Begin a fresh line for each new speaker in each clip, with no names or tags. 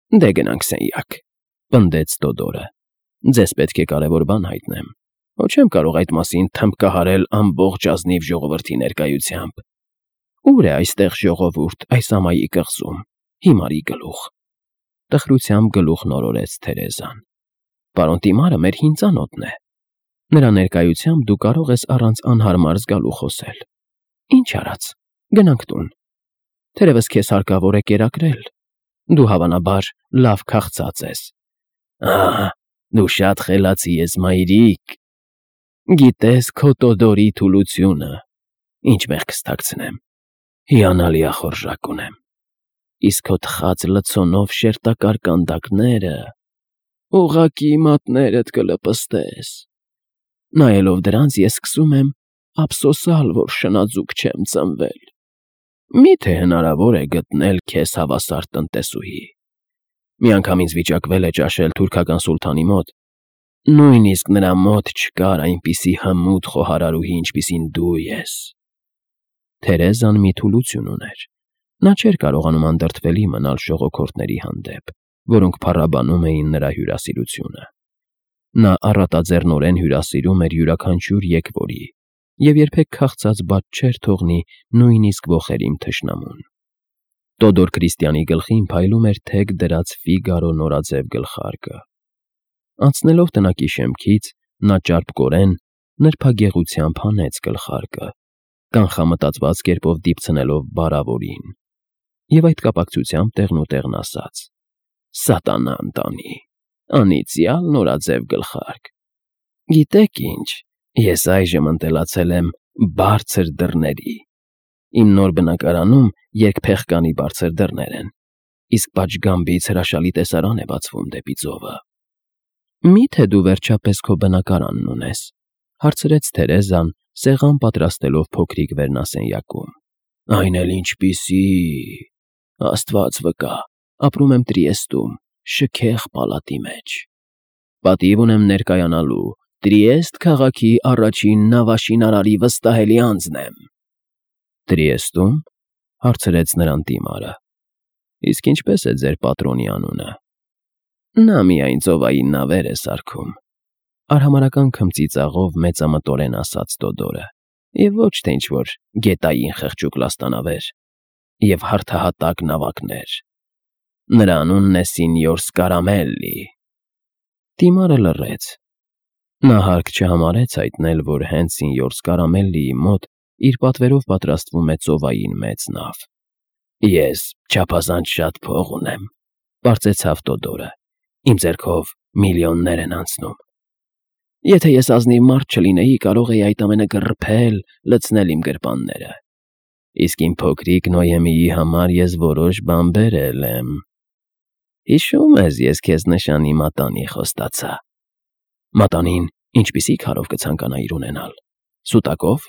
Դե գնանք սենյակ, պնդեց Տոդորը։ Ձեզ պետք է կարևոր բան հայտնեմ, ոչ չեմ կարող այդ մասին թմբկահարել ամբողջ ազնիվ ժողովրդի ներկայությամբ։ Ուր է այստեղ ժողովուրդ այս ամայի կղզում, հիմարի գլուխ։ Տխրությամբ գլուխ նորորեց Թերեզան։ Պարոն Տիմարը մեր հին ծանոթն է։ Նրա ներկայությամբ դու կարող ես առանց անհարմար զգալու խոսել։ Ինչ արած, գնանք տուն։ Թերևս քեզ հարկավոր է կերակրել։ Դու հավանաբար լավ քաղցած ես։ Ահա, դու շատ խելացի ես, մայրիկ։ Գիտես քո Տոդորի թուլությունը, ինչ մեղքս թաքցնեմ, հիանալի ախորժակ ունեմ։ Իսկ քո թխած լցոնով շերտակար կանդակները, ուղղակի մատներդ կլպստես։ Նայելով դրանց ես սկսում եմ ափսոսալ, որ շնաձուկ չեմ ծնվել։ Միթե հնարավոր է գտնել քեզ հավասար տնտեսուհի։ Մի անգամ ինձ վիճակվել է ճաշել թուրքական սուլթանի մոտ, նույնիսկ նրա մոտ չկար այնպիսի հմուտ խոհարարուհի, ինչպիսին դու ես։ Թերեզան մի թուլություն ուներ։ Նա չէր կարողանում անդրդվելի մնալ ժողոքորթների հանդեպ, որոնք փառաբանում էին նրա հյուրասիրությունը։ Նա առատաձեռնորեն հյուրասիրում էր յուրաքանչյուր եկվորի և երբեք քաղցած բաց չէր թողնի նույնիսկ ոխերիմ թշնամուն։ Տոդոր Քրիստիանի գլխին փայլում էր թեք դրած Ֆիգարո նորաձև գլխարկը։ Անցնելով տնակի շեմքից, նա ճարպկորեն նրբագեղությամբ հանեց գլխարկը, կանխամտածված կերպով դիպցնելով բարավորին, և այդ կապակցությամբ տեղնուտեղն ասաց. «Սատանա ընտանի, անիծյալ նորաձև գլխարկ։ Գիտեք ինչ, ես այժմ ընտելացել եմ բարձր դռների։ Իմ նոր բնակարանում երկփեղկանի բարձր դռներ են, իսկ պատշգամբից հրաշալի տեսարան է բացվում դեպի ծովը»։ Մի՞թե դու վերջապես քո բնակարանն ունես, հարցրեց Թերեզան, սեղան պատրաստելով փոքրիկ վերնասենյակում։ Այն էլ ինչպիսի, Աստված վկա, ապրում եմ Տրիեստում, շքեղ պալատի մեջ։ Պատիվ ունեմ ներկայանալու, Տրիեստ քաղաքի առաջին նավաշինարարի վստահելի անձն եմ։ Տրիեստում, հարցրեց նրան Տիմարը։ Իսկ ինչպես է ձեր պատրոնի անունը։ Նա միայն ծովային նավեր է սարքում, արհամարհական քմծիծաղով մեծամտորեն ասաց Տոդորը, և ոչ թե ինչ-որ գետային խղճուկ լաստանավեր և հարթահատակ նավակներ։ Նրա անունն է Սինյոր Սկարամելլի։ Տիմարը լռեց։ Նա հարկ չհամարեց հայտնել, որ հենց Սինյոր Սկարամելլիի մոտ իր պատվերով պատրաստվում է ծովային մեծ նավ։ Ես չափազանց շատ փող ունեմ, պարծեցավ Տոդորը։ Իմ ձեռքով միլիոններ են անցնում։ Եթե ես ազնիվ մարդ չլինեի, կարող էի այդ ամենը գռփել, լցնել իմ գրպանները։ Իսկ իմ փոքրիկ Նոյեմիի համար ես որոշ բան բերել եմ։ Հիշում ես, ես քեզ նշանի մատանի խոստացա։ Մատանին ինչպիսի քարով կցանկանայիր ունենալ։ Սուտակով,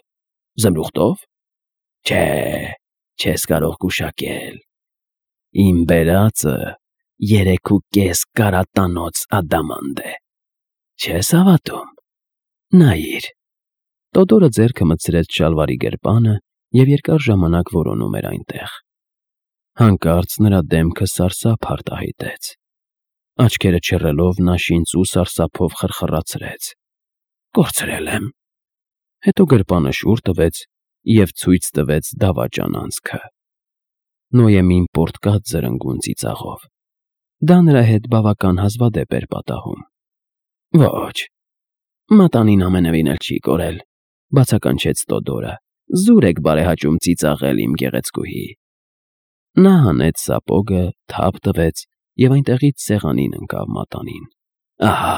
զմրուխտով։ Չէ, չես կարող գուշակել։ Իմ բերածը 3.5 կարատանոց ադամանդ է։ Չես հավատում։ Նայիր։ Տոդորը ձեռքը մտցրեց շալվարի գրպանը և երկար ժամանակ որոնում էր այնտեղ։ Հանկարծ նրա դեմքը սարսափ արտահայտեց։ Աչքերը չռելով նա շինծու սարսափով խրխռացրեց. Կորցրել եմ։ Հետո գրպանը շուռ տվեց և ցույց տվեց դավաճան անցքը։ Նոյեմին պոռթկաց զրնգուն ծիծաղով։ Դա նրա հետ բավական հազվադեպ էր պատահում։ Ոչ, մատանին ամենևին էլ չի կորել, բացականչեց Տոդորը։ Զուր եք բարեհաճում ծիծաղել, իմ գեղեցկուհի։ Նա հանեց սապոգը, թափ տվեց և այնտեղից սեղանին ընկավ մատանին։ Ահա,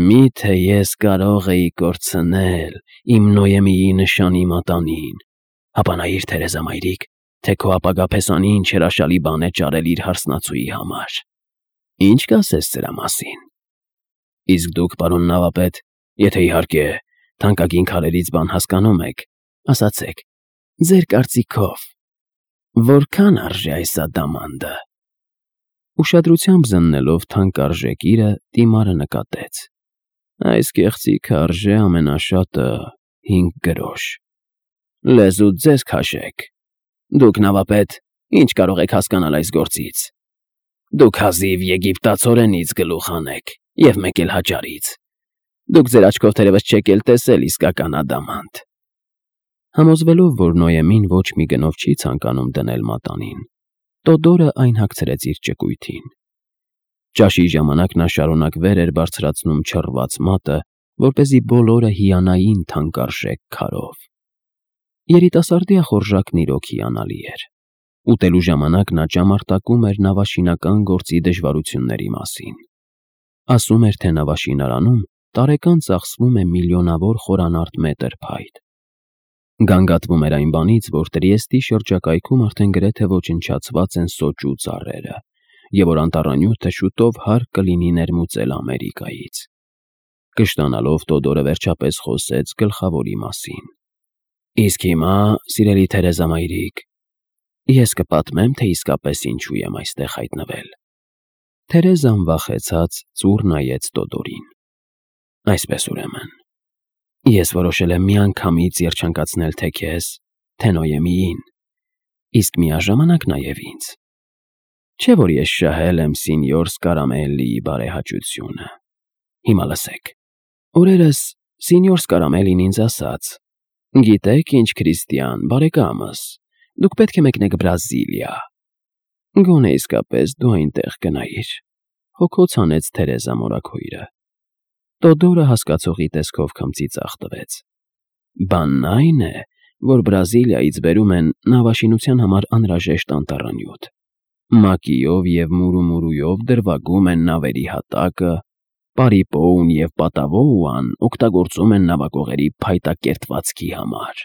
միթե ես կարող էի կորցնել իմ Նոյեմիի նշանի մատանին, ապա նայիր, Թերեզա մայրիկ, թե քո ապագա փեսանին հրաշալի բան է ճարել իր հարսնացուի համար։ Ինչ կասես սրա մասին։ Իսկ դուք, պարոն նավապետ, եթե իհարկե թանկագին քարերից բան հասկանում եք, ասացեք, ձեր կարծիքով, որքան արժե այս ադամանդը։ Ուշադրությամբ զննելով թանկարժեք իրը, Տիմարը նկատեց. Այս կեղծիքը արժե ամենաշատը 5 գրոշ։ Լեզուդ ձեզ քաշեք։ Դուք, նավապետ, ինչ կարող եք հասկանալ այս գործից։ Դուք հազիվ եգիպտացորենից գլուխ անեք, և մեկ էլ հաճարից։ Դուք ձեր աչքով թերևս չեք էլ տեսել իսկական ադամանտ։ Համոզվելով, որ Նոյեմին ոչ մի գնով չի ցանկանում դնել մատանին, Տոդորը այն հագցրեց իր ճկույթին։ Ճաշի ժամանակ նա շարունակ վեր էր բարձրացնում չռված մատը, որպեսզի բոլորը հիանային թանկարժեք քարով։ Երիտասարդի ախորժակն իրոք հիանալի էր։ Ուտելու ժամանակ նա ճամարտակում էր նավաշինական գործի դժվարությունների մասին։ Ասում էր, թե նավաշինարանում տարեկան ծախսվում է միլիոնավոր խորանարդ մետր փայտ։ Գանգատվում էր այն բանից, որ Տրիեստի շրջակայքում արդեն գրեթե ոչնչացված են սոճու ծառերը, և որ անտառանյութը շուտով հարկ կլինի ներմուծել Ամերիկայից։ Կշտանալով Տոդորը վերջապես խոսեց գլխավորի մասին։ Իսկ հիմա, սիրելի Թերեզամայրիկ, ես կպատմեմ, թե իսկապես ինչու եմ այստեղ հայտնվել։ Թերեզան վախեցած ծուռ նայեց Տոդորին։ Այսպես ուրեմն, ես որոշել եմ միանգամից երջանկացնել թե քեզ, թե Նոյեմիին, իսկ միաժամանակ նաև ինձ։ Չէ՞ որ ես շահել եմ սինյոր Սկարամելլիի բարեհաճությունը։ Հիմա լսեք։ Օրերս սինյոր Սկարամելլին ինձ ասաց. «Գիտեք ինչ, Քրիստիան, բարեկամս, դուք պետք է մեկնեք Բրազիլիա»։ Գոնե իսկապես դու այնտեղ գնայիր, հոգոց հանեց Թերեզա մորաքույրը։ Տոդորը հասկացողի տեսքով քմծիծաղ տվեց։ Բանն այն է, որ Բրազիլիայից բերում են նավաշինության համար անհրաժեշտ անտառանյութ։ Մակիով և մուրումուրույով դրվագում են նավերի հատակը, պարիպոուն և պատավոուան օգտագործում են նավակողերի փայտակերտվածքի համար։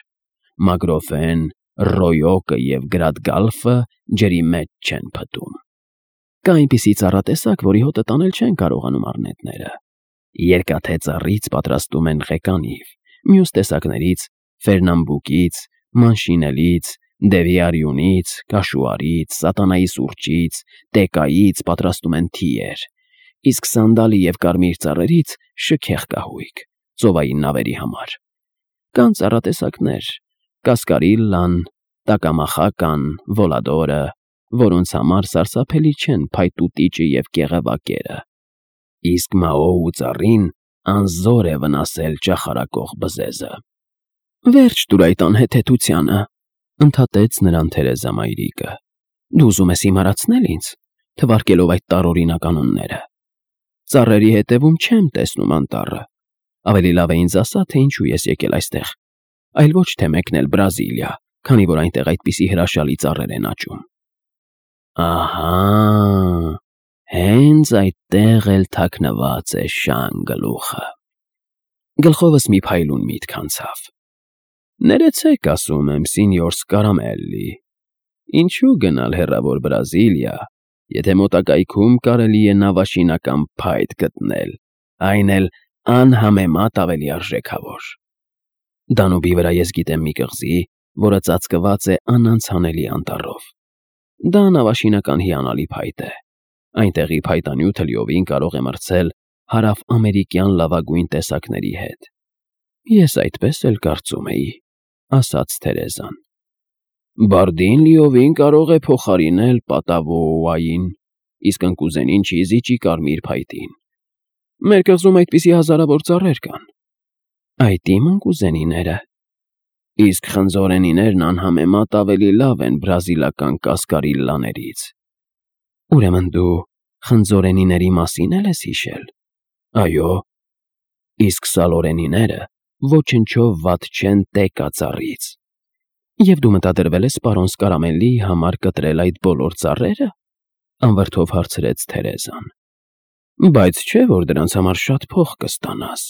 Մագրոֆեն, ռոյոկը և գրադգալֆը ջրի մեջ չեն փտում։ Կա այնպիսի ծառատեսակ, որի հոտը տանել չեն կարողանում առնետները։ Երկաթե ծառից պատրաստում են ղեկանիվ, մյուս տեսակներից ֆերնամբուկից, մանշինելից, դևիարյունից, կաշուարից, սատանայի սուրճից, տեկայից պատրաստում են թիեր, իսկ սանդալի և կարմիր ծառերից շքեղ կահույք, ծովային նավերի համար։ Կան ծառատեսակներ՝ կասկարիլլան, տակամախական, վոլադորը, որոնց համար սարսափելի չեն փայտուտիճը և կեղևակերը։ Իսկ մաոու ծառին անզոր է վնասել ճախարակող բզեզը։ Վերջ տուր այդ անհեթեթությանը, ընդհատեց նրան Թերեզամայրիկը։ Դու ուզում ես հիմարացնել ինձ, թվարկելով այդ տարօրինակ անունները։ Ծառերի հետևում չեմ տեսնում անտառը։ Ավելի լավ է ինձ ասա, թե ինչու ես եկել այստեղ, այլ ոչ թե մեկնել Բրազիլիա, քանի որ այնտեղ այդպիսի հրաշալի ծառեր են աճում։ Ահա, հենց այդտեղ էլ թաքնված է շան գլուխը։ Գլխովս մի փայլուն միտք անցավ։ Ներեցեք, ասում եմ, սինյոր Սկարամելլի, ինչու գնալ հեռավոր Բրազիլիա, եթե մոտակայքում կարելի է նավաշինական փայտ գտնել, այն էլ անհամեմատ ավելի արժեքավոր։ Դանուբի վրա ես գիտեմ մի կղզի, որը ծածկված է անանցանելի անտառով։ Դա նավաշինական հիանալի փայտ է։ Այնտեղի փայտանյութը լիովին կարող է մրցել հարավամերիկյան լավագույն տեսակների հետ։ Ես այդպես էլ կարծում էի, ասաց Թերեզան։ Բարդին լիովին կարող է փոխարինել պատավոուային, իսկ ընկուզենին չի զիջի կարմիր փայտին։ Մեր կղզում այդպիսի հազարավոր ծառեր կան։ Այդ իմ ընկուզենիները։ Իսկ խնձորենիներն անհամեմատ ավելի լավ են բրազիլական կասկարիլլաներից։ Ուրեմն դու խնձորենիների մասին էլ ես հիշել։ Այո։ Իսկ սալորենիները ոչնչով վատ չեն տեկա ծառից։ Եվ դու մտադրվել ես պարոն Սկարամելլիի համար կտրել այդ բոլոր ծառերը, անվրդով հարցրեց Թերեզան։ Բայց չէ, որ դրանց համար շատ փող կստանաս։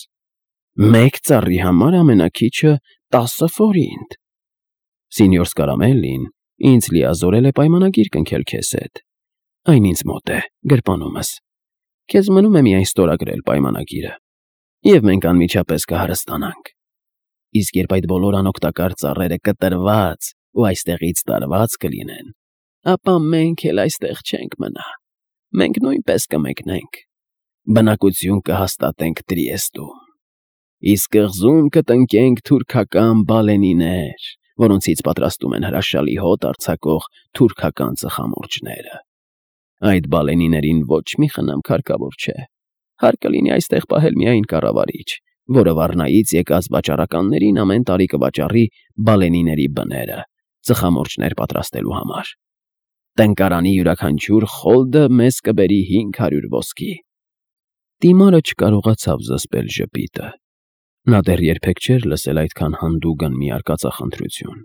Մեկ ծառի համար ամենաքիչը 10 ֆորինտ։ Սինյոր Սկարամելլին ինձ լիազորել է պայմանագիր կնքել քեզ հետ։ Այն ինձ մոտ է, գրպանումս։ Քեզ մնում է միայն ստորագրել պայմանագիրը, և մենք անմիջապես կհարստանանք։ Իսկ երբ այդ բոլոր անօգտակար ծառերը կտրված ու այստեղից տարված կլինեն, ապա մենք էլ այստեղ չենք մնա։ Մենք նույնպես կմեկնենք։ Բնակություն կհաստատենք Տրիեստում։ Իսկ կղզում կտնկենք թուրքական բալենիներ, որոնցից պատրաստում են հրաշալի հոտ արձակող թուրքական ծխամորճները։ Այդ բալենիներին ոչ մի խնամ հարկավոր չէ։ Հարկ կլինի այստեղ պահել միայն կառավարիչ, որը վառնայից եկած վաճառականներին ամեն տարի կվաճառի բալենիների բները, ծխամորճներ պատրաստելու համար։ Տնկարանի յուրաքանչյուր խոլդը մեզ կբերի 500 ոսկի։ Դիմարը չկարողացավ զսպել ժպիտը։ Նա դեռ երբեք չէր լսել այդքան հանդուգն մի արկածախնդրություն։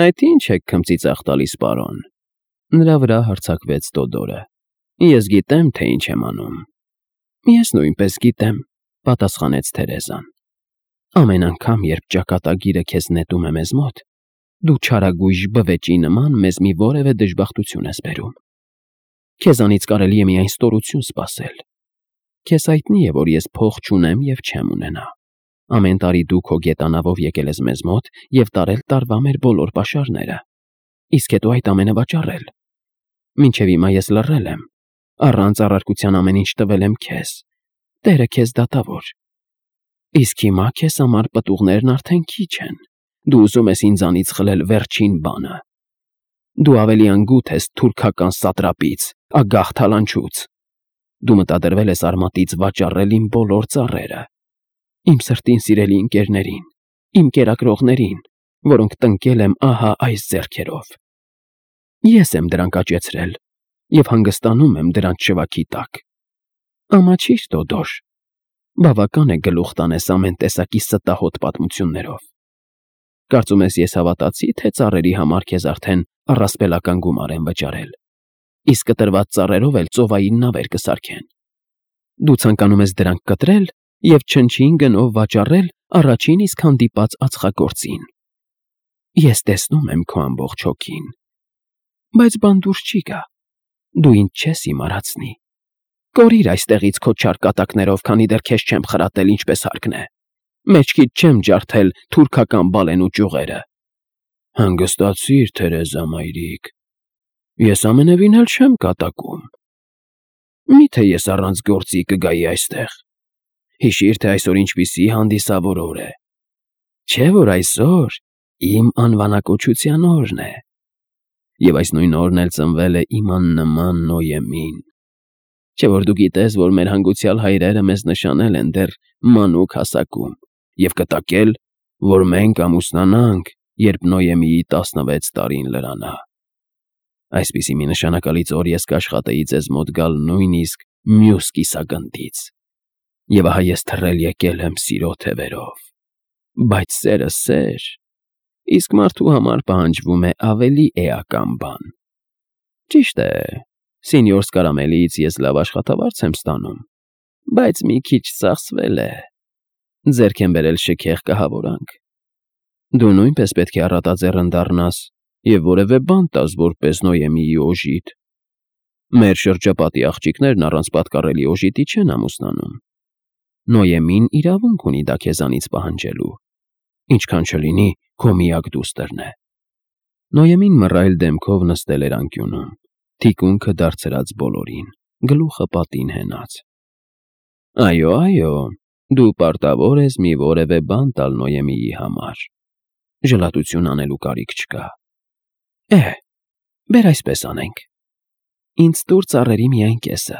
Այդ ի՞նչ եք քմծիծաղ տալիս, պարոն։ Նրա վրա հարձակվեց Տոդորը։ Ես գիտեմ, թե ինչ եմ անում։ Ես նույնպես գիտեմ, պատասխանեց Թերեզան։ Ամեն անգամ, երբ ճակատագիրը քեզ նետում է մեզ մոտ, դու չարագույժ բվեճի նման մեզ մի որևէ դժբախտություն ես բերում։ Քեզանից կարելի է միայն ստորություն սպասել։ Քեզ հայտնի է, որ ես փող չունեմ եւ չեմ ունենա։ Ամեն տարի դու քո գետանավով եկել ես մեզ մոտ եւ տարել տարվա մեր բոլոր պաշարները։ Իսկ հետո այդ ամենը վաճառել։ Մինչև հիմա ես լռել եմ։ Առանց առարկության ամեն ինչ տվել եմ քեզ։ Տերը քեզ դատավոր։ Իսկ հիմա քեզ համար պտուղներն արդեն քիչ են։ Դու ուզում ես ինձանից խլել վերջին բանը։ Դու ավելի անգութ ես թուրքական սատրապից, ագահ թալանչուց։ Դու մտադրվել ես արմատից վաճառել իմ բոլոր ծառերը։ Իմ սրտին սիրելի ընկերներին, իմ կերակրողներին, որոնք տնկել եմ ահա այս ձեռքերով։ Ես եմ դրանք աճեցրել եւ հանգստանում եմ դրանց շվաքի տակ։ Ամաչիր, Տոդոր, բավական է գլուխ տանես ամեն տեսակի ստահոդ պատմություններով։ Կարծում ես ես հավատացի, թե ծառերի համար քեզ արդեն առասպելական գումար են վճարել, իսկ կտրված ծառերով էլ ծովային նավեր կսարքեն։ Դու ցանկանում ես դրանք կտրել եւ չնչին գնով վաճառել առաջին իսկ հանդիպած ածխագործին։ Ես տեսնում եմ քո ամբողջ հոգին, բայց բան դուրս չի գա։ Դու ինձ չես իմարացնի։ Կորիր այստեղից քո չար կատակներով, քանի դեռ քեզ չեմ խրատել ինչպես հարկն է։ Մեջքիդ չեմ ջարդել թուրքական բալենու ճյուղերը։ Հանգստացիր, Թերեզա մայրիկ։ Ես ամենևին էլ չեմ կատակում։ Միթե ես առանց գործի կգայի այստեղ։ Հիշիր, թե այսօր ինչպիսի հանդիսավոր օր է։ Չէ՞ որ այսօր իմ անվանակոչության օրն է։ Եվ այս նույն օրն էլ ծնվել է իմ աննման Նոյեմին։ Չէ՞ որ դու գիտես, որ մեր հանգուցյալ հայրերը մեզ նշանել են դեռ մանուկ հասակում և կտակել, որ մենք ամուսնանանք, երբ Նոյեմիի 16 տարին լրանա։ Այսպիսի մի նշանակալից օր ես կաշխատեի ձեզ մոտ գալ նույնիսկ մյուս կիսագնդից։ Եվ ահա ես թռել եկել եմ սիրո թևերով։ Բայց սերը սեր, իսկ մարդու համար պահանջվում է ավելի էական բան։ Ճիշտ է, սենյոր Սկարամելից ես լավ աշխատավարձ եմ ստանում, բայց մի քիչ ծախսվել է։ Ձեռք եմ բերել շքեղ կահավորանք։ Դու նույնպես պետք է առատաձեռն դառնաս և որևէ բան տաս որպես Նոյեմիի օժիտ։ Մեր շրջապատի աղջիկներն առանց պատկառելի օժիտի չեն ամուսնանում։ Նոյեմին իրավունք ունի դա քեզանից պահանջելու, ինչքան չլինի քո միակ դուստրն է։ Նոյեմին մռայլ դեմքով նստել էր անկյունում, թիկունքը դարձրած բոլորին, գլուխը պատին հենած։ Այո, դու պարտավոր ես մի որևէ բան տալ Նոյեմիի համար։ Ժլատություն անելու կարիք չկա։ Բեր այսպես անենք։ Ինձ տուր ծառերի միայն կեսը,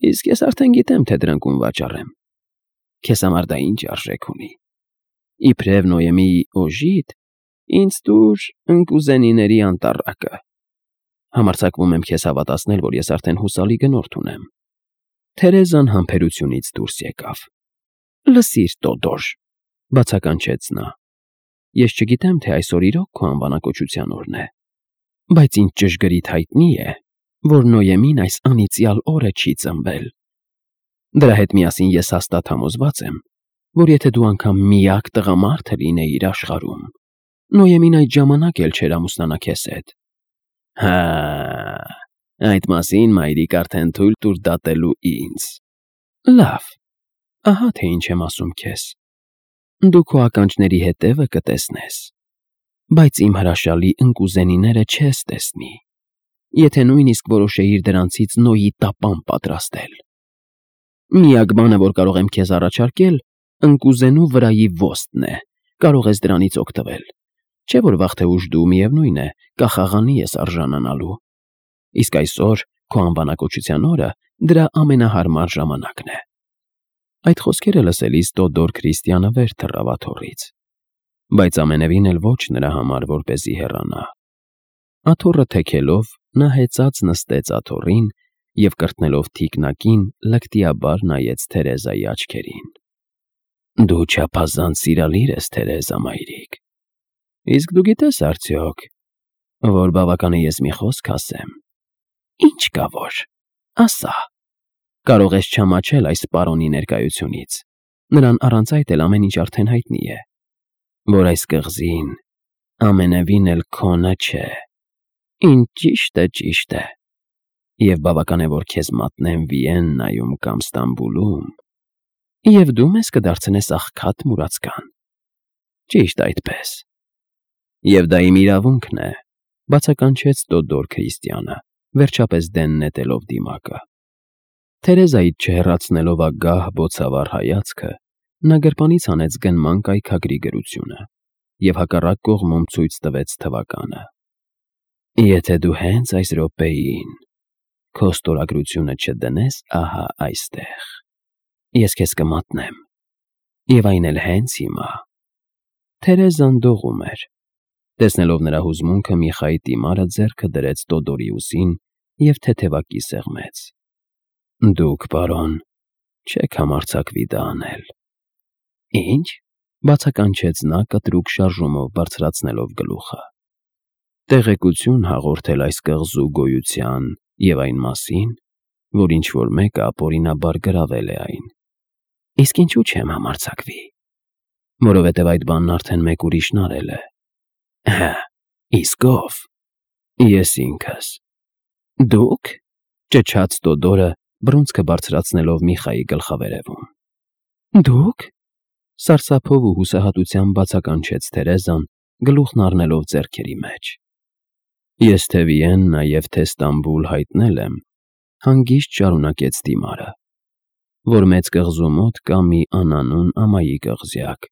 իսկ ես արդեն գիտեմ, թե դրանք ում վաճառեմ։ Քեզ համար դա ինչ արժեք ունի։ Իբրև Նոյեմիի օժիտ, ինձ տուր ընկուզենիների անտառակը։ Համարձակվում եմ քեզ հավատացնել, որ ես արդեն հուսալի գնորդ ունեմ։ Թերեզան համբերությունից դուրս եկավ։ Լսիր, Տոդոր, բացականչեց նա։ Ես չգիտեմ, թե այսօր իրոք քո անվանակոչության օրն է, բայց ինձ ճշգրիտ հայտնի է, որ Նոյեմին այս անիծյալ օրը չի ծնվել։ Դրա հետ միասին ես հաստատ համոզված եմ, որ եթե դու անգամ միակ տղամարդը լինեիր աշխարհում, Նոյեմին այդ ժամանակ էլ չէր ամուսնանա քեզ հետ։ Հա, այդ մասին մայրիկ արդեն թույլ տուր դատելու ինձ։ Լավ, ահա թե ինչ եմ ասում քեզ։ Դու քո ականջների հետևը կտեսնես, բայց իմ հրաշալի ընկուզենիները չես տեսնի, եթե նույնիսկ որոշեիր դրանցից Նոյի տապան պատրաստել։ Միակ բանը, որ կարող եմ քեզ առաջարկել, ընկուզենու վրայի ոստնն է, կարող ես դրանից օգտվել։ Չէ՞ որ վաղ թե ուշ դու, միևնույն է, կախաղանի ես արժանանալու։ իսկ այսօր քո անվանակոչության օրը դրա ամենահարմար ժամանակն է։ Այդ խոսքերը լսելիս Տոդոր Քրիստիանը վեր թռավ աթոռից, բայց ամենևին էլ ոչ նրա համար, որպեսզի հեռանա։ Աթոռը թեքելով, նա հեծած նստեց աթոռին և կրտնելով թիկնակին լկտիաբար նայեց Թերեզայի աչքերին։ Դու չափազանց սիրալիր ես, Թերեզա մայրիկ, իսկ դու գիտես արդյոք, որ բավական է ես մի խոսք ասեմ։ Ինչ կա որ, ասա։ Կարող ես չամաչել այս պարոնի ներկայությունից, նրան առանց այդ էլ ամեն ինչ արդեն հայտնի է, որ այս կղզին ամենևին էլ քոնը չէ։ Ինչ ճիշտ է, և բավական է, որ քեզ մատնեմ Վիեննայում կամ Ստամբուլում, և դու մեզ կդարձնես աղքատ մուրացկան։ Ճիշտ այդպես։ Եվ դա իմ իրավունքն է, բացականչեց Տոդոր Քրիստիանը, վերջապես դեն նետելով դիմակը։ Թերեզայից չհեռացնելով ագահ բոցավառ հայացքը, նա գրպանից հանեց գնման կայքագրի գրությունը և հակառակ կողմում ցույց տվեց թվականը։ Եթե դու հենց այս րոպեին քո ստորագրությունը չդնես ահա այստեղ, ես քեզ կմատնեմ, և այն էլ հենց հիմա։ Թերեզան դողում էր։ Տեսնելով նրա հուզմունքը, Միխայի տիմարը ձեռքը դրեց Տոդորի ուսին և թեթևակի սեղմեց։ Դուք, պարոն, չեք համարձակվի դա անել։ Ինչ, բացականչեց նա կտրուկ շարժումով բարձրացնելով գլուխը։ Տեղեկություն հաղորդել այս կղզու գոյության և այն մասին, որ ինչ-որ մեկը ապօրինաբար գրավել է այն։ Իսկ ինչու չեմ համարձակվի։ Որովհետև այդ բանն արդեն մեկ ուրիշն արել է։ Հը, իսկ ով։ Ես ինքս։ Դուք, ճչաց Տոդորը, բռունցքը բարձրացնելով Միխայի գլխավերևում։ Դուք, սարսափով ու հուսահատությամբ բացականչեց Թերեզան, գլուխն առնելով ձեռքերի մեջ։ Ես թե Վիեննա և թե Ստամբուլ հայտնել եմ, հանգիստ շարունակեց դիմարը, որ մեծ կղզու մոտ կա մի անանուն ամայի կղզյակ,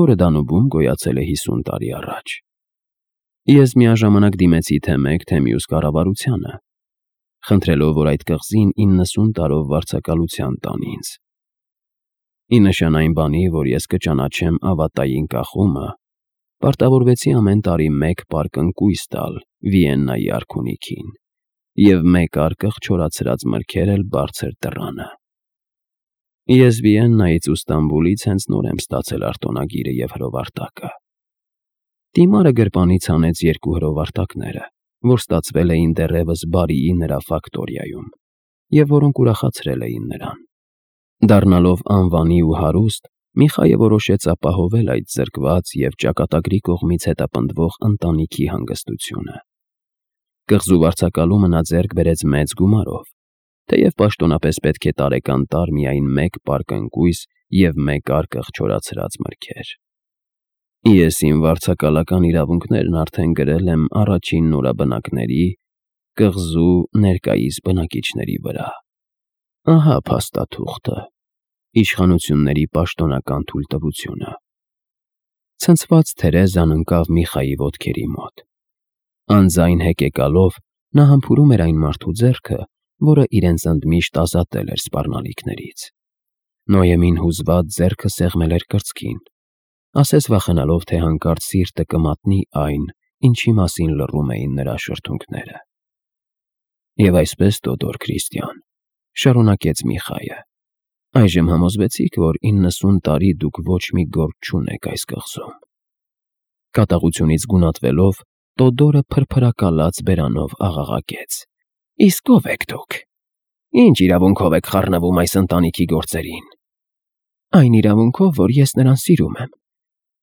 որը Դանուբում գոյացել է 50 տարի առաջ։ Ես միաժամանակ դիմեցի թե մեկ, թե մյուս կառավարությանը, խնդրելով, որ այդ կղզին 90 տարով վարձակալության տան ինձ։ Ի նշան այն բանի, որ ես կճանաչեմ ավատային կախումը, պարտավորվեցի ամեն տարի մեկ պարկ ընկույզ տալ Վիեննայի արքունիքին և մեկ արկղ չորացրած մրգեր էլ բարձր դռանը։ Ես Վիեննայից ու Ստամբուլից հենց նոր եմ ստացել արտոնագիրը և հրովարտակը։ Տիմարը գրպանից հանեց 2 հրովարտակները, որ ստացվել էին դեռևս բարիի նրա ֆակտորիայում, և որոնք ուրախացրել էին նրան։ Դառնալով անվանի ու հարուստ, Միխայը որոշեց ապահովել այդ զրկված և ճակատագրի կողմից հետապնդվող ընտանիքի հանգստությունը։ Կղզու վարձակալումը նա ձեռք բերեց մեծ գումարով, թեև պաշտոնապես պետք է տարեկան տար միայն մեկ պարկ ընկույզ և մեկ արկղ չորացրած մրգեր։ Ես իմ վարձակալական իրավունքներն արդեն գրել եմ առաջին նորաբնակների, կղզու ներկայիս բնակիչների վրա։ Ահա փաստաթուղթը, իշխանությունների պաշտոնական թույլտվությունը։ Ցնցված Թերեզան ընկավ Միխայի ոտքերի մոտ։ Անձայն հեկեկալով նա համբուրում էր այն մարդու ձեռքը, որը իրենց ընդմիշտ ազատել էր սպառնալիքներից։ Նոյեմին հուզված ձեռքը սեղմել էր կրծքին, ասես վախենալով, թե հանկարծ սիրտը կմատնի այն, ինչի մասին լռում էին նրա շրթունքները։ Եվ այսպես, Տոդոր Քրիստիան, շարունակեց Միխայը, այժմ համոզվեցիք, որ 90 տարի դուք ոչ մի գործ չունեք այս կղզում։ Կատաղությունից գունատվելով, Տոդորը փրփրակալած բերանով աղաղակեց. Իսկ ով եք դուք։ Ինչ իրավունքով եք խառնվում այս ընտանիքի գործերին։ Այն իրավունքով, որ ես նրան սիրում եմ,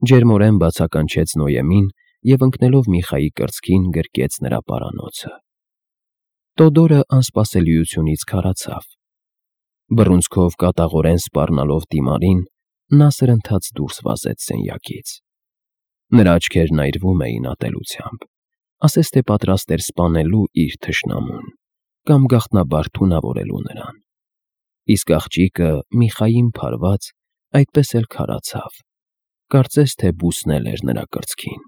ջերմորեն բացականչեց Նոյեմին և ընկնելով Միխայի կրծքին գրկեց նրա պարանոցը։ Տոդորը անսպասելիությունից քարացավ։ Բռունցքով կատաղորեն սպառնալով Տիմարին, նա սրընթաց դուրս վազեց սենյակից։ Նրա աչքերն այրվում էին ատելությամբ, ասես թե պատրաստ էր սպանելու իր թշնամուն կամ գաղտնաբար թունավորելու նրան։ Իսկ աղջիկը Միխային փարված այդպես էլ քարացավ, կարծես թե բուսնել էր նրա կրծքին։